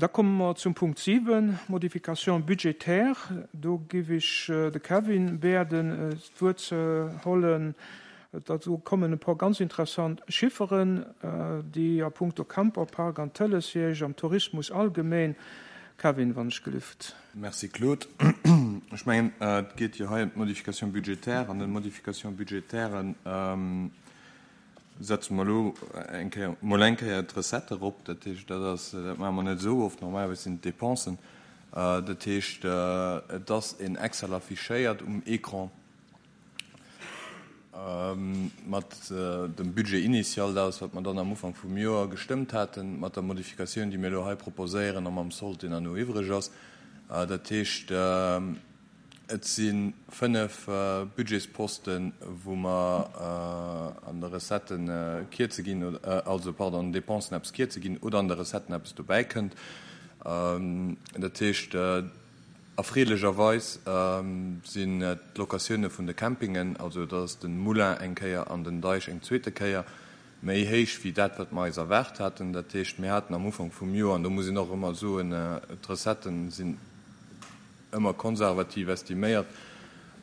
Da komme mer zum Punkt 7, Modifications budgétaires. Do giff ech de Kevin bieden, d'Wuert ze hollen. Do kommen e puer ganz interessant Chifferen, déi a puncto Camperpark an Tëleshierg, am Tourismus allgemeen. Kevin, wann ech gelift. Merci Claude. Ech mengen, et geet jo hei ëm d'Modifications budgétaires. An den Modifications budgétairen setze mer elo eng Kéier, mol eng Kéier d'Recette erop. Dat heescht, dat ass, dat maache mer net esou oft, normalerweis sinn et d'Dépensen. Dat heescht, et ass en Excel affichéiert um Écran mat dem Budget initial, dat ass, wat mer dann am Ufank vum Joer gestëmmt haten, mat der Modifikatioun, déi mir elo hei proposéieren, a mam Sold, deen herno iwwreg ass. Dat heescht, Et si 5 Budgetsposten, wou mer an de Recettë kierze ginn, also, pardon, an den Dépensen eppes kierze ginn oder an de Recetten eppes dobäi kënnt. Dat heescht, erfreelecherweis sinn d'Locatioune vun de Campingen, also dat ass de Moulin eng Kéier an den Deich eng zweete Kéier, méi héich wéi dat, wat mer eis erwaart haten. Dat heescht, mir haten am Ufank vum Joer, an do muss een och ëmmer soen, d'Recettë sinn, ëmmer konservativ estiméiert.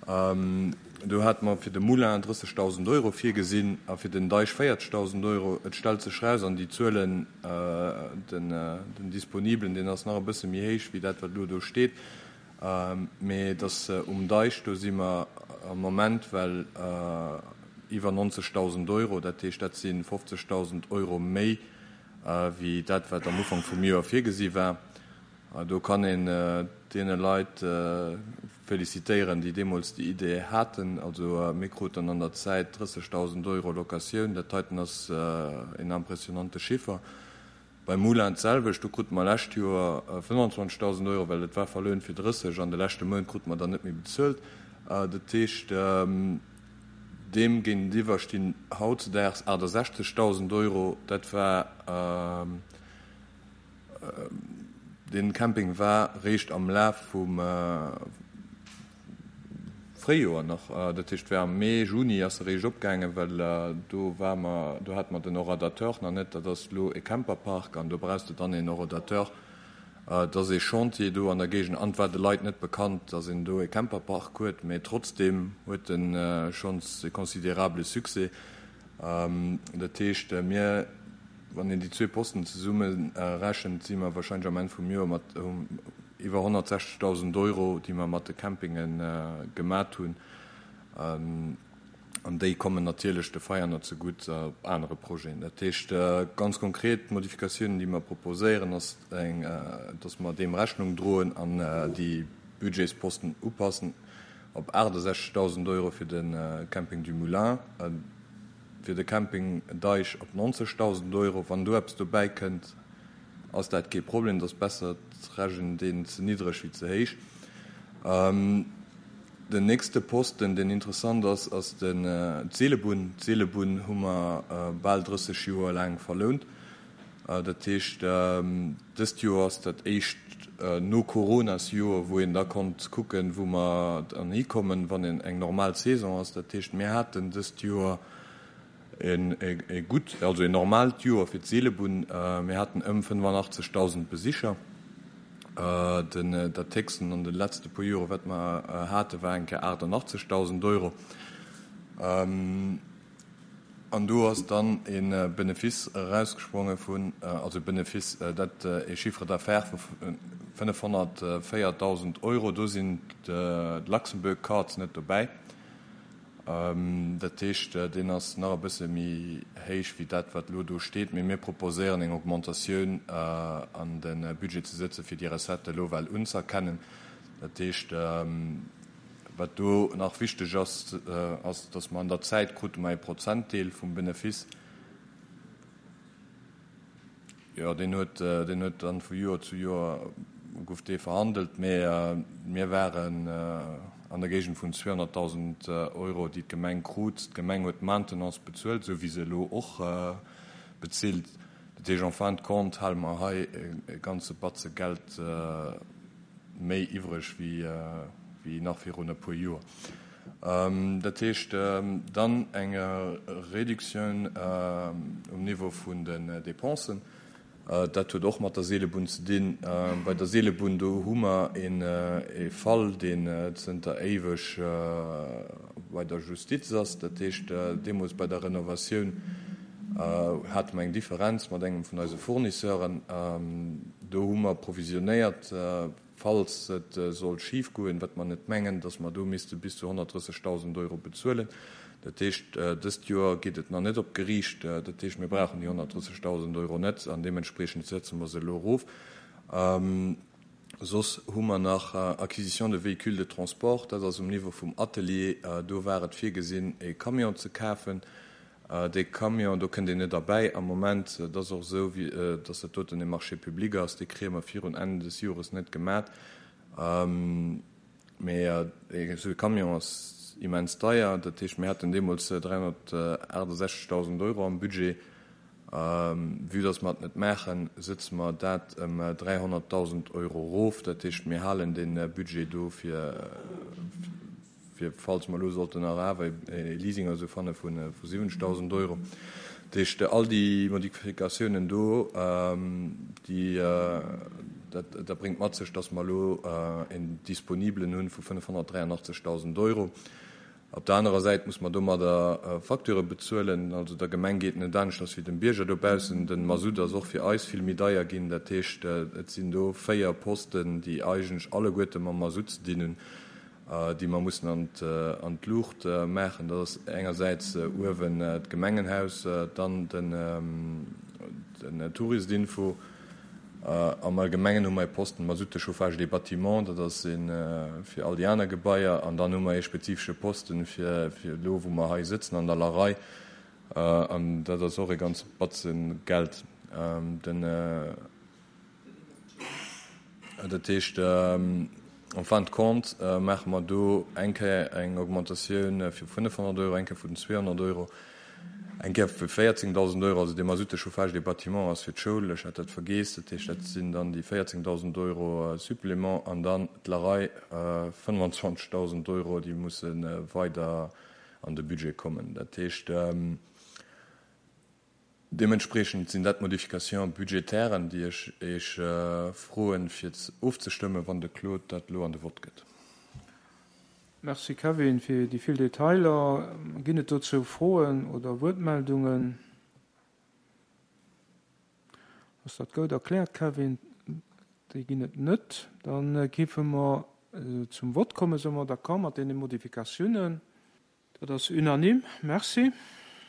Do hate mer fir de Moulin 30.000 Euro virgesinn a fir den Deich 40.000 Euro. Et stellt sech eraus, an déi Zuelen, den Disponiblen, deen ass nach e bësse méi héich wéi dat, wat elo do steet, mee dass um Deich, do si mer am Moment well iwwer 90.000 Euro, dat heescht, dat si 50.000 Euro méi wéi dat, wat am Ufank vum Joer virgesi war. Do kann een deene Leit felicitéieren, déi deemools déi Idee haten. Also mir kruten an der Zäit 30.000 Euro Locatioun. Dat heiten ass een impressionante Chiffer. Beim Moulin d'selwecht, do krute mer lescht Joer 25.000 Euro, well et war verlount fir 30 an de leschte Mount krute mer dann net méi bezuelt. Dat heescht, deem géintiwwer stinn hautzedaags 68.000 Euro. Dat war. Deen Camping war réischt am Laf vum Fréijoer nach, dat heescht war am Mee, Juni ass e réischt opgaangen, well do war mer, do hate mer den Horadateur nach net. Dat ass elo e Camperpark an do brauchs de dann een Horadateur. Et ass ee Chantier do an der Géigend an et war de Leit net bekannt, datt een do e Camperpark huet, mee trotzdeem huet en schonns e considérable Succès. Dat heescht, mir, wann een déi zwee Posten zesumme rechent, si mer wahrscheinlech am Enn vum Joer mat iwwer 160.000 Euro, déi mer mat de Campinge gemat hunn. An déi kommen natierlech de Veianer zegutt op anere Projeten. Dat heescht ganz konkret, d'Modifikatiounen, déi mer proposéieren, ass eng, dass mer deem Rechnung droen an déi Budgetsposten upassen op 68.000 Euro fir de Camping du Moulin, fir de Camping Deich op 90.000 Euro. Wann do eppes dobäi kënnt, ass dat kee Problem. Et ass besser, et rechent een ze niddreg wéi ze héich. Den nächste Posten, deen interessant ass, ass d'Seelebunn. D'Seelebunn hu mer bal 30 Joer laang verlount. Dat heescht, dëst Joer ass dat éischt No-Coronas-Joer, wou een da konnt kucken, wou mer dann hikommen, wann eng normal Saison ass. Dat heescht, mir haten dëst Joer e gutt, also en normaalt Joer fir d'Seelebunn. Mir haten ëm 85.000 Besicher. Den, dat héchsten an de letzte puer Jore wat mer haten, war eng Kéier 88.000 Euro. An do ass dann e Benefice erausgespronge vun, also Benefice, dat e Chiffre d'affaires vu 504.000 Euro. Do sinn d'Luxembourg Cards net dobäi. Dat heescht, deen ass nach e bësse méi héich wéi dat, wat elo do steet. Mee mir proposéieren eng Augmentatioun an de Budget ze sëtzen, fir déi Recette elo well unzëerkennen. Dat heescht, Wat do nach wichteg ass, ass, dass mer an der Zäit krute mer ee Prozentdeel vum Benefice. Jo, deen huet, deen huet dann vu Joer zu Joer gouf dee verhandelt, mä mir waren an der Géigend vun 200.000 Euro, déi d'Gemeng krut. D'Gemeng huet d'Maintenance bezuelt, esou wéi se elo och bezilt. Dat heescht, en fin de compte hale mer hei e ganze Batze Geld méi iwwreg wéi nach virun e puer Joer. Dat heescht dann eng Reduktioun um Niveau vun den Dépensen. Dat huet och mat der Seelebunn ze dinn. Bei der Seelebunn, do hu mer ee Fall, deen zënter éiweg bei der Justiz ass. Dat heescht, deemools bei der Renovatioun hate mer eng Differenz mat engem vun eise Fournisseuren. Do hu mer provisionéiert. Falls et sollt schif goen, wat mer net mengen, dass mer do misste bis zu 130.000 Euro bezuelen. Dat heescht, dëst Joer geet et nach net op d'Geriicht. Dat heescht, mir brauchen déi 130.000 Euro net an deementspreechend setze mer se elo erof. Soss hu mer nach Acquisition de véhicules de transport, dat ass um Niveau vum Atelier. Do war et virgesinn, e Camion ze kafen. Dee Camion, do kënnt een net erbäi am Moment. Et ass och esou, datt dat doten e Marché public ass, dee kréie mer virun Enn des Jores net gemat. Mee esou e Camion ass immens deier. Dat heescht, mir haten deemools 368.000 Euro am Budget. Vue datt mer et net maachen, sëtze mer dat ëm 300.000 Euro erof. Dat heescht, mir halen dee Budget do fir. fir falls mer elo sollten nach awer e Leasing oder esou fanne vu 70.000 Euro. Dat heescht, all déi Modifikatiounen do, déi, dat, dat bréngt mat sech, dass mer elo en Disponibelen hu vu 583.000 Euro. Op der anerer Säit muss mer domadder Facturë bezuelen. Also der Gemeng geet net aneschters wéi dem Bierger dobaussen. De Masutt ass och fir eis vill méi deier ginn. Dat heescht, et sinn do 4 Posten, déi eigentlech alleguerte mam Masutt ze dinn hunn. déi mer mussen an d'Luucht maachen. Dat ass engersäits uewen d'Gemengenhaus, dann den Touristinfo. Am Allgemengen hu mer e Posten Mazout de chauffage des bâtiments, dat ass ee fir all déi aner Gebaier. An dann hu mer ee spezifesche Posten fir elo, wou mer hei sëtzen an der Larei. An dat ass och e ganze Batze Geld. Den. Dat heescht, en fin de compte maache mer do eng Kéier eng Augmentatioun vu 500 Euro, eng Kéier vun 200 Euro, eng Kéier vu 14.000 Euro. Also dee Mazout de chauffage des bâtiments ass fir d'Schoul, ech hat dat vergeess. Dat heescht, dat sinn dann déi 14.000 Euro Supplément an dann d'Larei 25.000 Euro, déi musse weider an de Budget kommen. Dat heescht. Deementspreechend sinn dat d'Modifications budgétairen, déi ech Iech froen, fir ofzestëmmen, wann de Claude dat elo an de Vott gëtt. Merci Kevin fir déi vill Detailer. Ginn et dozou Froen oder Wuertmeldungen? Ass dat goud erkläert, Kevin? Déi ginn et net. Da géife mer zum Vott kommen. Soe mer d'accord mat deene Modifikatiounen? Dat ass unanime. Merci.